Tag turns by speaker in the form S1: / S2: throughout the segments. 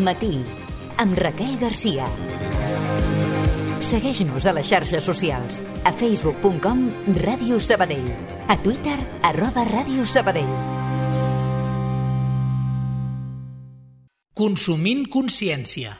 S1: Matí, amb Raquel Garcia. Segueix-nos a les xarxes socials, a facebook.com Ràdio Sabadell, a Twitter @Ràdio Sabadell.
S2: Consumint consciència.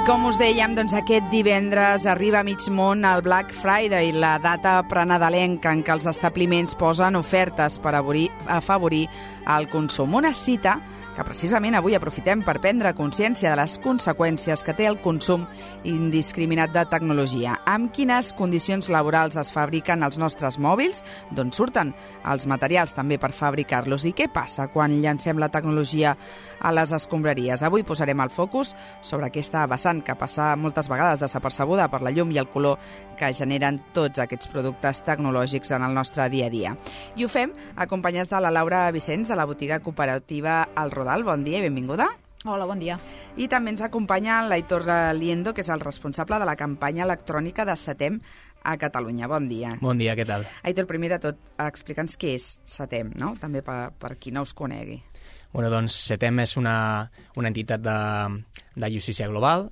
S3: Com us dèiem, doncs aquest divendres arriba a mig món el Black Friday, la data prenadalenca en què els establiments posen ofertes per afavorir el consum. Una cita que precisament avui aprofitem per prendre consciència de les conseqüències que té el consum indiscriminat de tecnologia. Amb quines condicions laborals es fabriquen els nostres mòbils, d'on surten els materials també per fabricar-los i què passa quan llancem la tecnologia a les escombraries. Avui posarem el focus sobre aquesta vessant que passa moltes vegades desapercebuda per la llum i el color que generen tots aquests productes tecnològics en el nostre dia a dia. I ho fem acompanyats de la Laura Vicenç, de la botiga cooperativa El Rodal. Bon dia i benvinguda.
S4: Hola, bon dia.
S3: I també ens acompanya l'Aitor Liendo, que és el responsable de la campanya electrònica de Setem a Catalunya. Bon dia.
S5: Bon dia, què tal?
S3: Aitor, primer de tot, explica'ns què és Setem, no? També per qui no us conegui.
S5: Bueno, doncs Setem és una entitat de justícia global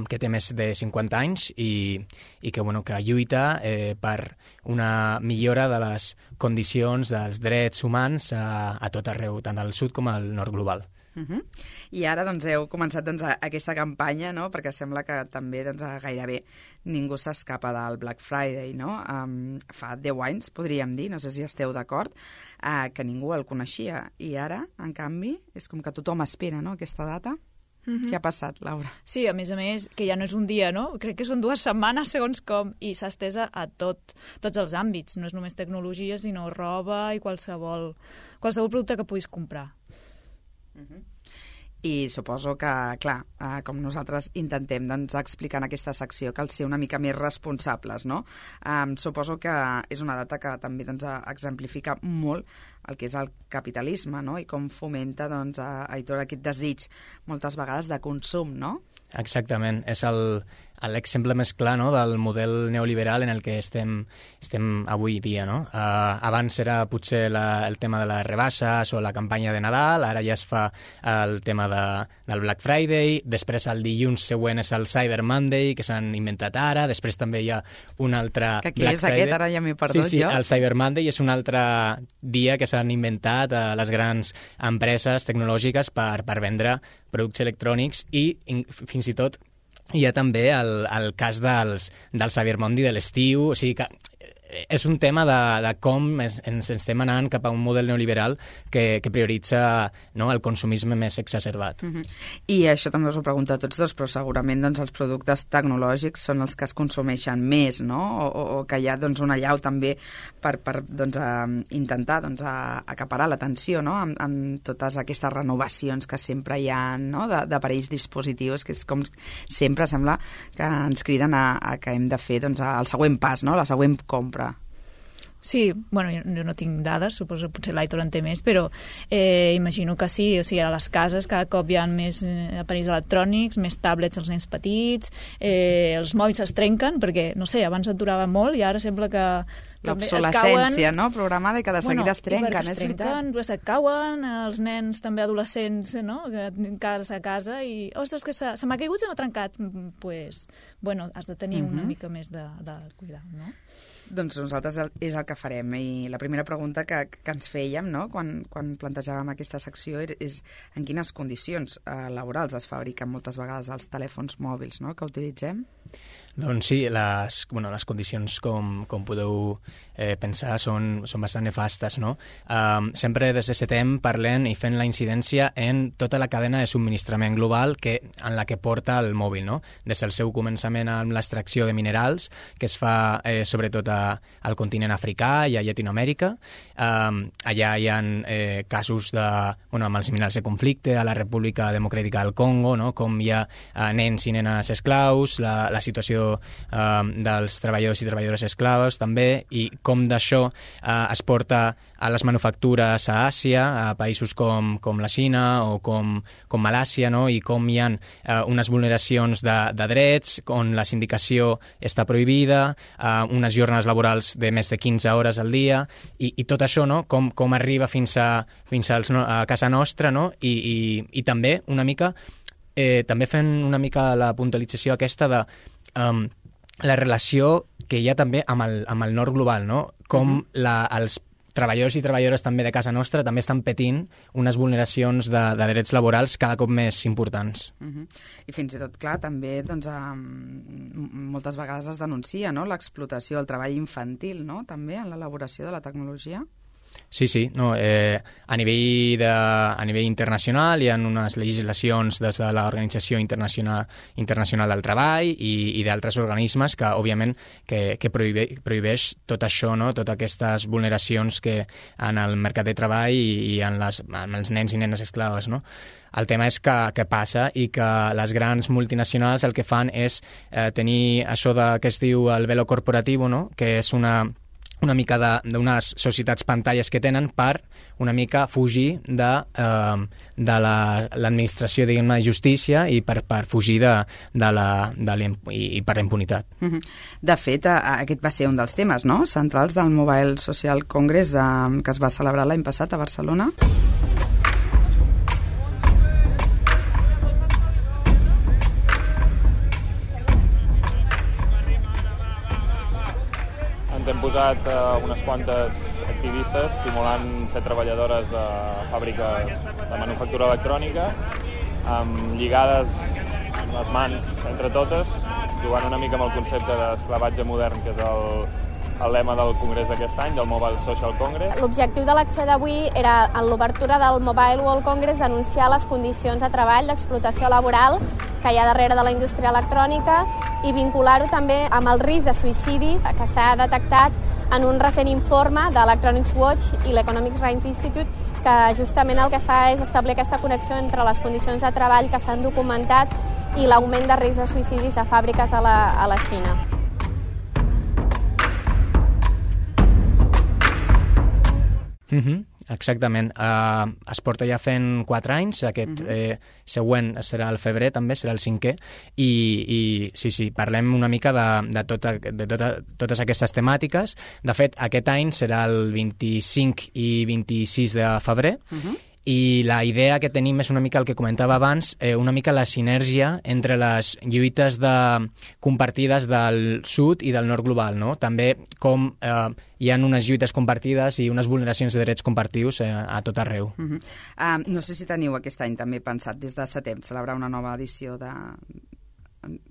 S5: que té més de 50 anys i que lluita per una millora de les condicions dels drets humans a tot arreu, tant al sud com al nord global.
S3: I ara heu començat aquesta campanya, no? Perquè sembla que també gairebé ningú s'escapa del Black Friday, no? Fa 10 anys, podríem dir, no sé si esteu d'acord, que ningú el coneixia. I ara, en canvi, és com que tothom espera, no?, aquesta data. Què ha passat, Laura?
S4: Sí, a més, que ja no és un dia, no? Crec que són 2 setmanes, segons com, i s'ha estès a tots els àmbits. No és només tecnologia, sinó roba i qualsevol producte que puguis comprar.
S3: I suposo que, clar, com nosaltres intentem explicar en aquesta secció, cal ser una mica més responsables, no? Suposo que és una data que també exemplifica molt el que és el capitalisme, no? I com fomenta, Aitor, aquest desig moltes vegades de consum, no?
S5: Exactament, és l'exemple més clar, no?, del model neoliberal en el que estem avui dia, no? Abans era potser el tema de les rebasses o la campanya de Nadal, ara ja es fa el tema del Black Friday, després el dilluns següent és el Cyber Monday, que s'han inventat ara, després també hi ha un altre
S3: Black Friday. Que és aquest? Ara ja m'he perdut
S5: sí,
S3: jo.
S5: El Cyber Monday és un altre dia que s'han inventat a les grans empreses tecnològiques per vendre productes electrònics i fins i tot hi ha també el cas del Cyber Monday de l'estiu, o sigui que és un tema de com ens estem anant cap a un model neoliberal que prioritza, no, el consumisme més exacerbat.
S3: I això també us ho pregunto a tots dos, però segurament els productes tecnològics són els que es consumeixen més, no? O que hi ha una allau també per intentar acaparar l'atenció, no? Amb totes aquestes renovacions que sempre hi ha, no?, d'aparells dispositius, que és com sempre sembla que ens criden a que hem de fer el següent pas, no?, la següent compra.
S4: Sí, bueno, jo no tinc dades, suposo que potser l'Aitor en té més, però imagino que sí, o sigui, a les cases cada cop hi ha més aparells electrònics, més tablets als nens petits, els mòbils es trenquen, perquè, no sé, abans et durava molt i ara sembla que
S3: l'obsolescència, no?, programada i que de seguida es trenquen, és veritat.
S4: Et cauen, els nens també adolescents, no?, que casa a casa i, ostres, que se m'ha caigut, se m'ha trencat. Pues, bueno, has de tenir una mica més de cuidar, no?
S3: Doncs nosaltres és el que farem. I la primera pregunta que ens fèiem, no?, quan plantejàvem aquesta secció és en quines condicions laborals es fabriquen moltes vegades els telèfons mòbils, no?, que utilitzem.
S5: Doncs sí, les condicions, com podeu pensar, són bastant nefastes, no? Sempre des de Setem parlem i fent la incidència en tota la cadena de subministrament global en la que porta el mòbil, no? Des del seu començament amb l'extracció de minerals, que es fa sobretot a al continent africà i a Llatinoamèrica. Allà hi ha casos amb els minerals de conflicte a la República Democràtica del Congo, no? Com hi ha nens i nenes esclaus, la situació dels treballadors i treballadores esclaves també, i com d'això es porta a les manufactures a Àsia, a països com la Xina o com Malàisia, no? I com hi ha unes vulneracions de drets, on la sindicació està prohibida, unes jornades laborals de més de 15 hores al dia, i tot això, no? Com arriba fins a casa nostra, no? I també una mica també fent una mica la puntualització aquesta de la relació que hi ha també amb el nord global, no? Com els treballadors i treballadores també de casa nostra també estan patint unes vulneracions de drets laborals cada cop més importants.
S3: I fins i tot, clar, també doncs, moltes vegades es denuncia, no? L'explotació, el treball infantil, no? També en l'elaboració de la tecnologia.
S5: Sí, no, a nivell internacional hi ha unes legislacions des de l'Organització Internacional del Treball i d'altres organismes que, òbviament, que prohibeix tot això, no? Totes aquestes vulneracions que en el mercat de treball i en els nens i nenes esclaves, no? El tema és que passa i que les grans multinacionals el que fan és tenir això que es diu el velo corporativo, no? Que és una mica d'unes societats pantalles que tenen per una mica fugir de l'administració, diguem-ne, de justícia i per fugir i per la impunitat.
S3: De fet, aquest va ser un dels temes, no?, centrals del Mobile Social Congress que es va celebrar l'any passat a Barcelona.
S2: Ens hem posat unes quantes activistes simulant ser treballadores de fàbriques de manufactura electrònica, lligades les mans entre totes, jugant una mica amb el concepte d'esclavatge modern, que és el lema del congrés d'aquest any, del Mobile Social Congress.
S6: L'objectiu de l'acció d'avui era, en l'obertura del Mobile World Congress, denunciar les condicions de treball, l'explotació laboral que hi ha darrere de la indústria electrònica i vincular-ho també amb el risc de suïcidis que s'ha detectat en un recent informe de l'Electronics Watch i l'Economic Rights Institute, que justament el que fa és establir aquesta connexió entre les condicions de treball que s'han documentat i l'augment de risc de suïcidis a fàbriques a la Xina.
S5: Exactament. Es porta ja fent 4 anys, aquest següent serà al febrer, també serà el 5è, i sí, parlem una mica de totes aquestes temàtiques. De fet, aquest any serà el 25 i 26 de febrer, i la idea que tenim és una mica el que comentava abans, una mica la sinergia entre les lluites compartides del sud i del nord global, no? També com hi ha unes lluites compartides i unes vulneracions de drets compartius a tot arreu.
S3: No sé si teniu aquest any també pensat des de setembre celebrar una nova edició de...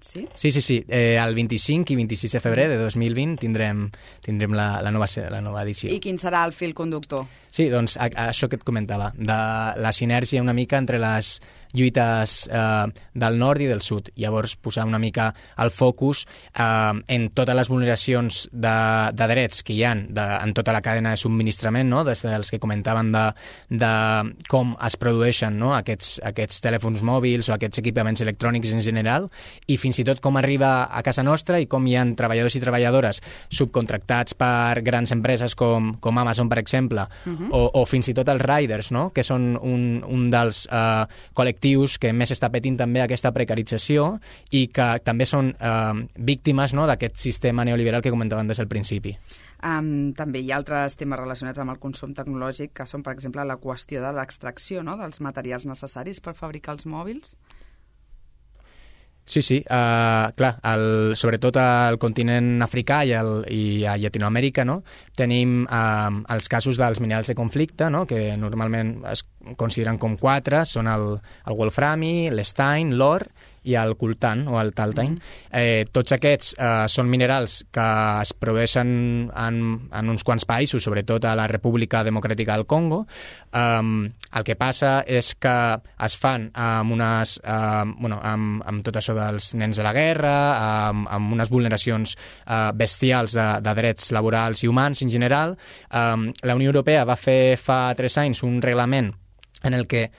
S3: Sí?
S5: Sí. El 25 i 26 de febrer de 2020 tindrem la nova edició.
S3: I quin serà el fil conductor?
S5: Sí, doncs això que et comentava, de la sinergia una mica entre les lluites del nord i del sud. Llavors, posar una mica el focus en totes les vulneracions de drets que hi ha en tota la cadena de subministrament, no? Des dels que comentaven de com es produeixen, no? aquests telèfons mòbils o aquests equipaments electrònics en general, i fins i tot com arriba a casa nostra i com hi ha treballadors i treballadores subcontractats per grans empreses com Amazon, per exemple, o fins i tot els riders, no? Que són un dels col·lectius que més està patint també aquesta precarització i que també són víctimes, no? D'aquest sistema neoliberal que comentaven des del principi.
S3: També hi ha altres temes relacionats amb el consum tecnològic, que són, per exemple, la qüestió de l'extracció, no? Dels materials necessaris per fabricar els mòbils.
S5: Sí, clar, sobretot al continent africà i a Llatinoamèrica, no? Tenim els casos dels minerals de conflicte, no? Que normalment es consideren com 4, són el wolframi, l'estein, l'or i el coltan o el taltine. Tots aquests són minerals que es produeixen en uns quants països, sobretot a la República Democràtica del Congo. El que passa és que es fan amb tot això dels nens de la guerra, amb unes vulneracions bestials de drets laborals i humans en general. La Unió Europea va fer fa 3 anys un reglament en el que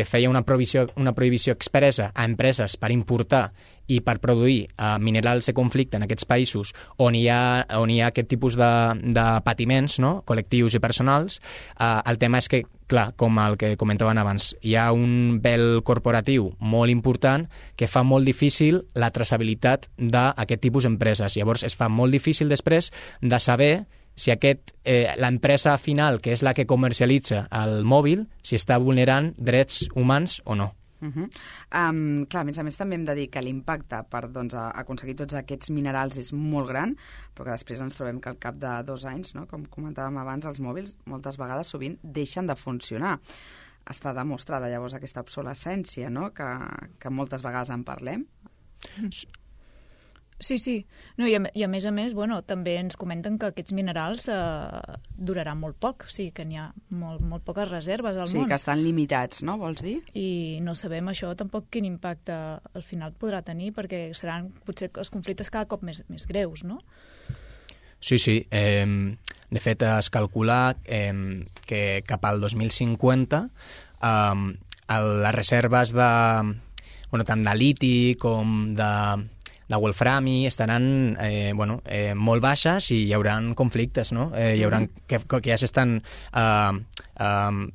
S5: feia una prohibició expressa a empreses per importar i per produir minerals de conflicte en aquests països on hi ha aquest tipus de patiments, no? Col·lectius i personals. El tema és que, clar, com el que comentaven abans, hi ha un vel corporatiu molt important que fa molt difícil la traçabilitat d'aquest tipus d'empreses. Llavors es fa molt difícil després de saber si l'empresa final, que és la que comercialitza el mòbil, si està vulnerant drets humans o no.
S3: Clar, a més també hem de dir que l'impacte per aconseguir tots aquests minerals és molt gran, però que després ens trobem que al cap de 2 anys, no, com comentàvem abans, els mòbils moltes vegades sovint deixen de funcionar. Està demostrada llavors aquesta obsolescència, no?, que moltes vegades en parlem.
S4: Sí. No, i a més, també ens comenten que aquests minerals duraran molt poc, o sigui que n'hi ha molt poques reserves al món.
S3: Sí, que estan limitats, no, vols dir?
S4: I no sabem això tampoc quin impacte al final podrà tenir, perquè seran potser els conflictes cada cop més greus, no?
S5: Sí. De fet, es calcula que cap al 2050 les reserves tant de liti com de wolframi estaran molt baixes i hi haurà conflictes, no? Hi haurà que ja s'estan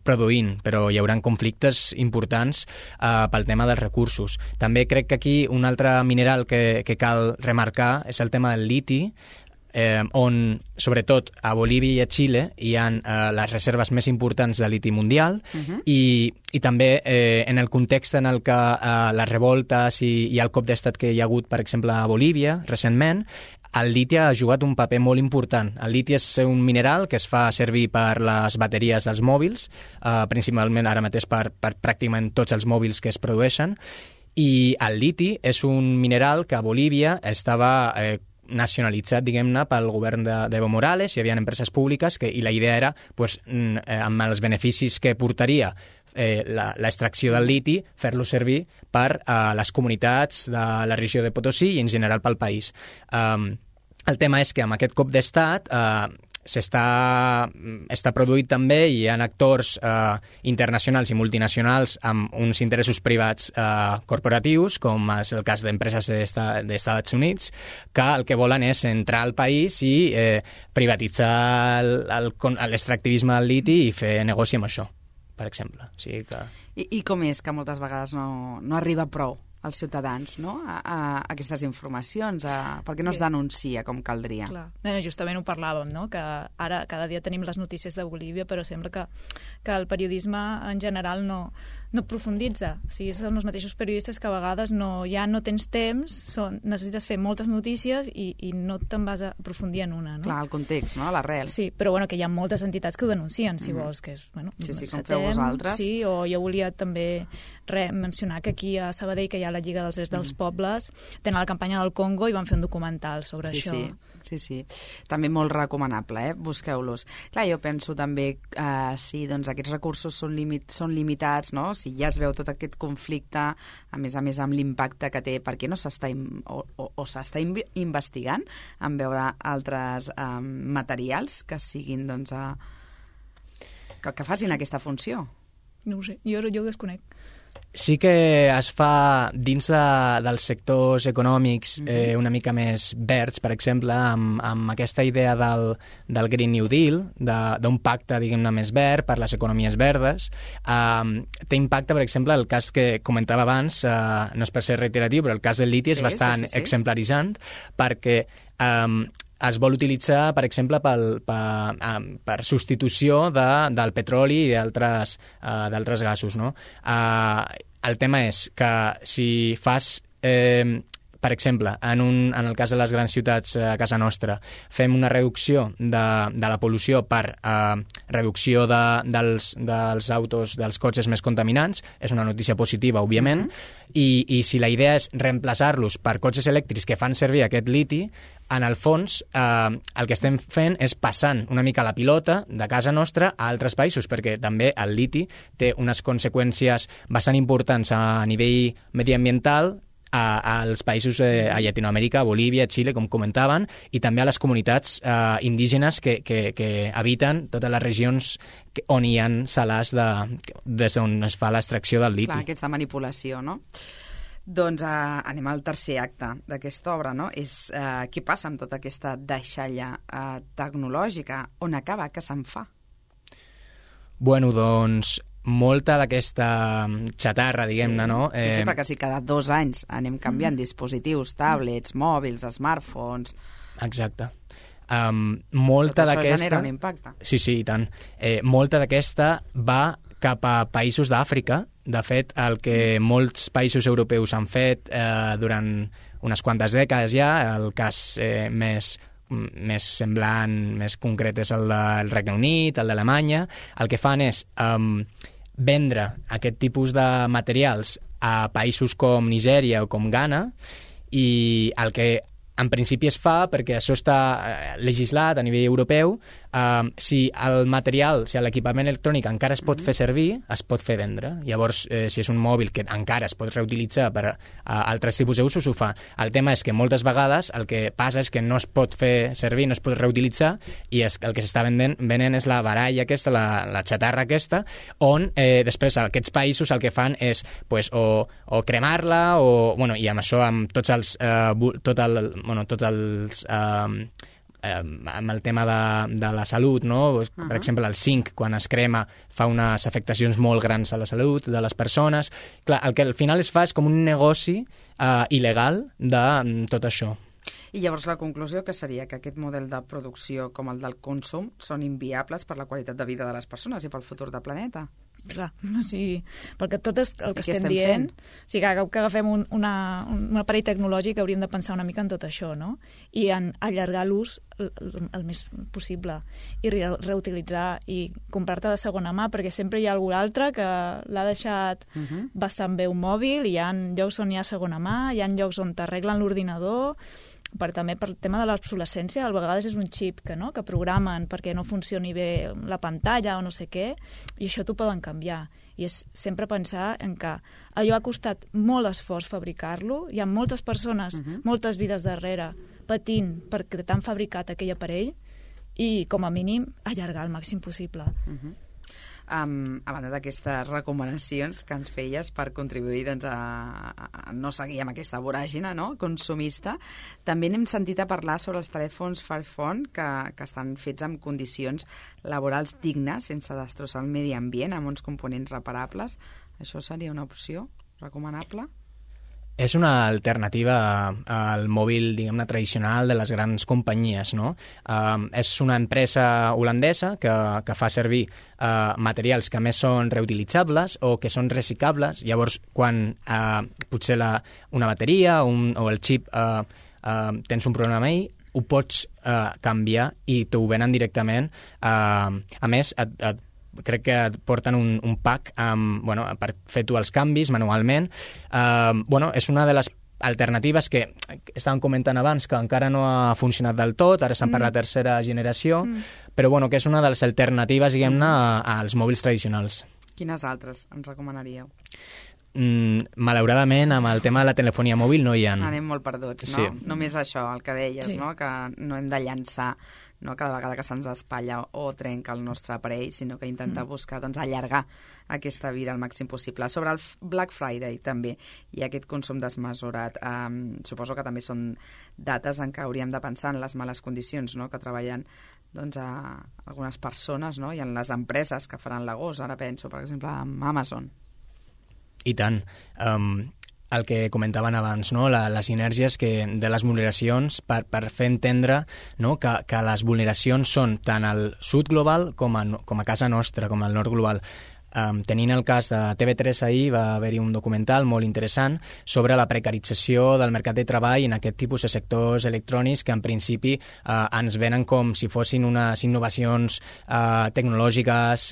S5: produint, però hi haurà conflictes importants pel tema dels recursos. També crec que aquí un altre mineral que cal remarcar és el tema del liti, on, sobretot a Bolívia i a Xile, hi ha les reserves més importants de liti mundial i també en el context en el que les revoltes i el cop d'estat que hi ha hagut, per exemple, a Bolívia, recentment, el liti ha jugat un paper molt important. El liti és un mineral que es fa servir per les bateries dels mòbils, principalment ara mateix per pràcticament tots els mòbils que es produeixen, i el liti és un mineral que a Bolívia estava nacionalitzat, diguem-ne, pel govern d'Evo Morales. Hi havia empreses públiques i la idea era, amb els beneficis que portaria l'extracció del liti, fer-lo servir per les comunitats de la regió de Potosí i en general pel país. El tema és que amb aquest cop d'estat està produït també i hi ha actors internacionals i multinacionals amb uns interessos privats corporatius, com és el cas d'empreses dels Estats Units, que el que volen és entrar al país i privatitzar l'extractivisme del liti i fer negoci amb això, per exemple. O sigui que...
S3: I com és que moltes vegades no arriba prou als ciutadans, no?, a aquestes informacions, perquè no es denuncia com caldria.
S4: Clar. Justament ho parlàvem, no?, que ara cada dia tenim les notícies de Bolívia, però sembla que el periodisme en general no profunditza. O sigui, són els mateixos periodistes que a vegades ja no tens temps, necessites fer moltes notícies i no te'n vas a aprofundir en una, no?
S3: Clar, el context, no?, l'arrel.
S4: Sí, però que hi ha moltes entitats que ho denuncien, si vols, que és,
S3: Sí, com feu vosaltres.
S4: Sí, o jo volia també mencionar que aquí a Sabadell, que hi ha la Lliga dels Drets dels Pobles, tenen la campanya del Congo i van fer un documental sobre això.
S3: Sí. També molt recomanable, Busqueu-los. Clar, jo penso també, sí, doncs aquests recursos són limitats, no?, si ja es veu tot aquest conflicte, a més amb l'impacte que té, per què no s'està s'està investigant en veure altres materials que siguin, doncs, que facin aquesta funció?
S4: No ho sé, jo ho desconec.
S5: Sí que es fa dins dels sectors econòmics una mica més verds, per exemple, amb aquesta idea del Green New Deal, d'un pacte, diguem-ne, més verd per les economies verdes. Té impacte, per exemple, el cas que comentava abans, no és per ser reiteratiu, però el cas del liti és bastant exemplaritzant, perquè es vol utilitzar, per exemple, per substitució del petroli i d'altres gasos, no? El tema és que si fas, per per exemple, en el cas de les grans ciutats a casa nostra, fem una reducció de la pol·lució per reducció dels autos, dels cotxes més contaminants, és una notícia positiva, òbviament, i si la idea és reemplaçar-los per cotxes elèctrics que fan servir aquest liti, en el fons el que estem fent és passant una mica la pilota de casa nostra a altres països, perquè també el liti té unes conseqüències bastant importants a nivell mediambiental als països a Llatinoamèrica, a Bolívia, a Xile, com comentaven, i també a les comunitats indígenes que habiten totes les regions on hi ha salars des d'on es fa l'extracció del liti.
S3: Clar, aquesta manipulació, no? Doncs anem al tercer acte d'aquesta obra, no? És què passa amb tota aquesta deixalla tecnològica? On acaba? Què se'n fa?
S5: Bueno, doncs molta d'aquesta xatarra, diguem-ne, no?
S3: Sí, perquè si cada 2 anys anem canviant dispositius, tablets, mòbils, smartphones...
S5: Exacte. Molta
S3: això
S5: d'aquesta...
S3: genera un impacte.
S5: Sí, i tant. Molta d'aquesta va cap a països d'Àfrica. De fet, el que molts països europeus han fet durant unes quantes dècades ja, el cas més semblant, més concret és el del Regne Unit, el d'Alemanya, el que fan és vendre aquest tipus de materials a països com Nigèria o com Ghana, i el que en principi es fa, perquè això està legislat a nivell europeu, si el material, si l'equipament electrònic encara es pot fer servir, es pot fer vendre. Llavors, si és un mòbil que encara es pot reutilitzar per altres tipus d'usos, ho fa. El tema és que moltes vegades el que passa és que no es pot fer servir, no es pot reutilitzar, i el que s'està venent és la baralla aquesta, la xatarra aquesta, on després aquests països el que fan és o cremar-la, i amb això, amb tots els amb el tema de la salut, no? Per exemple, el zinc, quan es crema, fa unes afectacions molt grans a la salut de les persones. Clar, el que al final es fa és com un negoci il·legal de tot això.
S3: I llavors la conclusió que seria que aquest model de producció com el del consum són inviables per la qualitat de vida de les persones i pel futur del planeta.
S4: Clar, sí, perquè tot és el que estem dient. O sigui, que agafem un aparell tecnològic hauríem de pensar una mica en tot això, no? I en allargar l'ús el més possible i reutilitzar i comprar-te de segona mà, perquè sempre hi ha algú altre que l'ha deixat bastant bé un mòbil, i hi ha llocs on hi ha segona mà, hi ha llocs on t'arreglen l'ordinador, també per el tema de l'obsolescència, a vegades és un xip que programen perquè no funcioni bé la pantalla o no sé què, i això t'ho poden canviar. I és sempre pensar en que allò ha costat molt esforç fabricar-lo, hi ha moltes persones, moltes vides darrere, patint perquè t'han fabricat aquell aparell, i com a mínim allargar el màxim possible.
S3: A banda d'aquestes recomanacions que ens feies per contribuir a no seguir amb aquesta voràgina, no? Consumista, també n'hem sentit a parlar sobre els telèfons Fairphone que estan fets amb condicions laborals dignes, sense destrossar el medi ambient, amb uns components reparables. Això seria una opció recomanable?
S5: És una alternativa al mòbil, diguem-ne, tradicional de les grans companyies, no? És una empresa holandesa que fa servir materials que més són reutilitzables o que són reciclables. Llavors, quan potser una bateria o el xip tens un problema amb ell, ho pots canviar i t'ho venen directament. A més, crec que et porten un pack per fer tu els canvis manualment. És una de les alternatives que estàvem comentant abans, que encara no ha funcionat del tot, ara se'n parla de tercera generació, però que és una de les alternatives, diguem-ne, als mòbils tradicionals.
S3: Quines altres ens recomanaríeu?
S5: Malauradament, amb el tema de la telefonia mòbil no hi ha.
S3: Anem molt perduts, no? Sí. Només això, el que deies, no? Que no hem de llançar cada vegada que se'ns espatlla o trenca el nostre aparell, sinó que intentar buscar allargar aquesta vida al màxim possible. Sobre el Black Friday també hi ha aquest consum desmesurat. Suposo que també són dates en què hauríem de pensar en les males condicions, no? Que treballen algunes persones, no? I en les empreses que faran l'agost. Ara penso, per exemple, en Amazon.
S5: I tant. El que comentaven abans, no? Les inèrcies de les vulneracions per fer entendre, no? que les vulneracions són tant al sud global com a casa nostra, com al nord global. tenint el cas de TV3 ahir, va haver-hi un documental molt interessant sobre la precarització del mercat de treball en aquest tipus de sectors electrònics que en principi ens venen com si fossin unes innovacions tecnològiques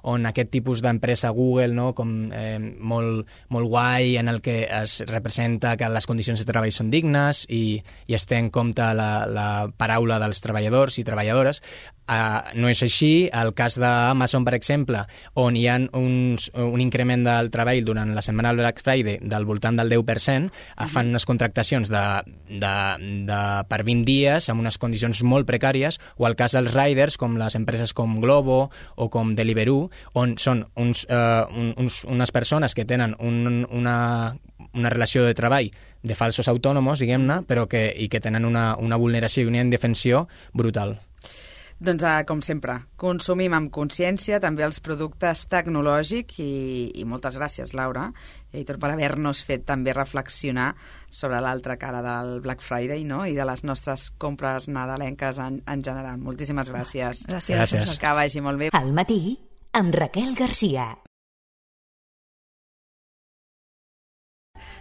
S5: on aquest tipus d'empresa Google, no, com molt guai, en el que es representa que les condicions de treball són dignes i es té en compte la paraula dels treballadors i treballadores. No és així. El cas d'Amazon, per exemple, on hi ha un increment del treball durant la setmana del Black Friday del voltant del 10%, fan unes contractacions per 20 dies amb unes condicions molt precàries, o el cas dels riders, com les empreses com Glovo o com Deliveroo, on són unes persones que tenen una relació de treball de falsos autònoms, diguem-ne, però que tenen una vulneració i una indefensió brutal.
S3: Doncs, com sempre, consumim amb consciència també els productes tecnològics i moltes gràcies, Laura, Heitor, per haver-nos fet també reflexionar sobre l'altra cara del Black Friday, no?, i de les nostres compres nadalenques en general. Moltíssimes gràcies.
S4: Gràcies.
S3: Que vagi molt bé.
S1: Al matí, amb Raquel Garcia.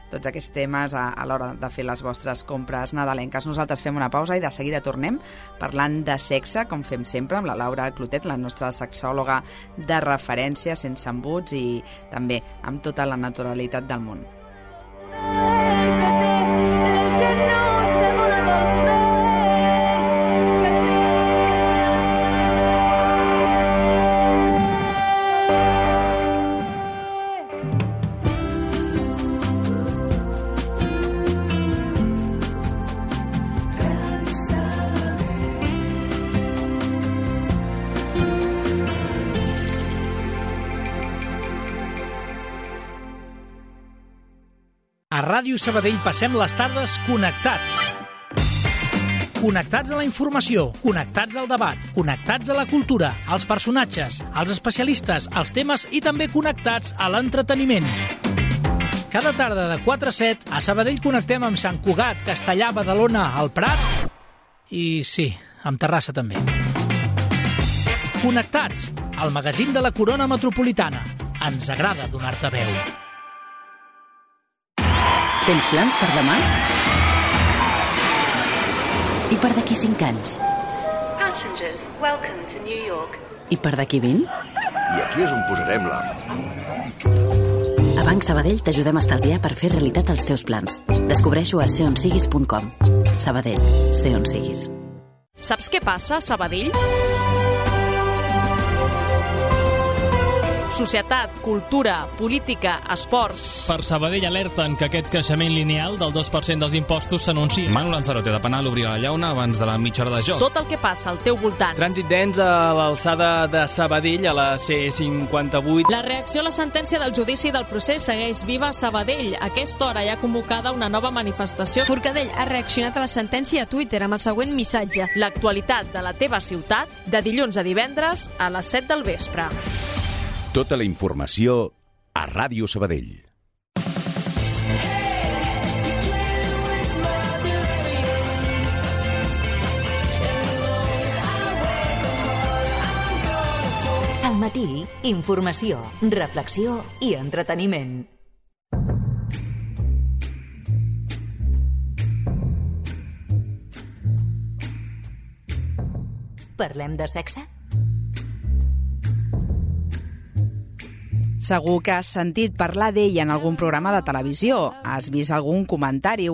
S3: Tots aquests temes a l'hora de fer les vostres compres nadalenques. Nosaltres fem una pausa i de seguida tornem parlant de sexe, com fem sempre, amb la Laura Clotet, la nostra sexòloga de referència, sense embuts i també amb tota la naturalitat del món.
S7: A Ràdio Sabadell passem les tardes connectats. Connectats a la informació, connectats al debat, connectats a la cultura, als personatges, als especialistes, als temes i també connectats a l'entreteniment. Cada tarda de 4 a 7 a Sabadell connectem amb Sant Cugat, Castellà, Badalona, el Prat i, sí, amb Terrassa també. Connectats, al magazín de la Corona Metropolitana. Ens agrada donar-te veu.
S8: Tens plans per demà? I per d'aquí 5 anys?
S9: Passengers, welcome to New York.
S8: I per d'aquí 20?
S10: I aquí és on posarem l'art.
S8: A Banc Sabadell t'ajudem a estalviar per fer realitat els teus plans. Descobreixo a seonsiguis.com. Sabadell, sé on siguis.
S11: Saps què passa a Sabadell? Societat, cultura, política, esports...
S12: Per Sabadell alerten que aquest creixement lineal del 2% dels impostos s'anuncia.
S13: Manu Lanzarote de Penal obrirà la llauna abans de la mitja hora de joc.
S11: Tot el que passa al teu voltant.
S14: Trànsit dens a l'alçada de Sabadell, a la C58.
S11: La reacció a la sentència del judici del procés segueix viva a Sabadell. A aquesta hora hi ha convocada una nova manifestació.
S15: Forcadell ha reaccionat a la sentència a Twitter amb el següent missatge.
S11: L'actualitat de la teva ciutat, de dilluns a divendres a les 7 del vespre.
S16: Tota la informació a Ràdio Sabadell.
S1: Al matí, informació, reflexió i entreteniment. Parlem de sexe?
S3: Segur que has sentit parlar d'ell en algun programa de televisió. Has vist algun comentari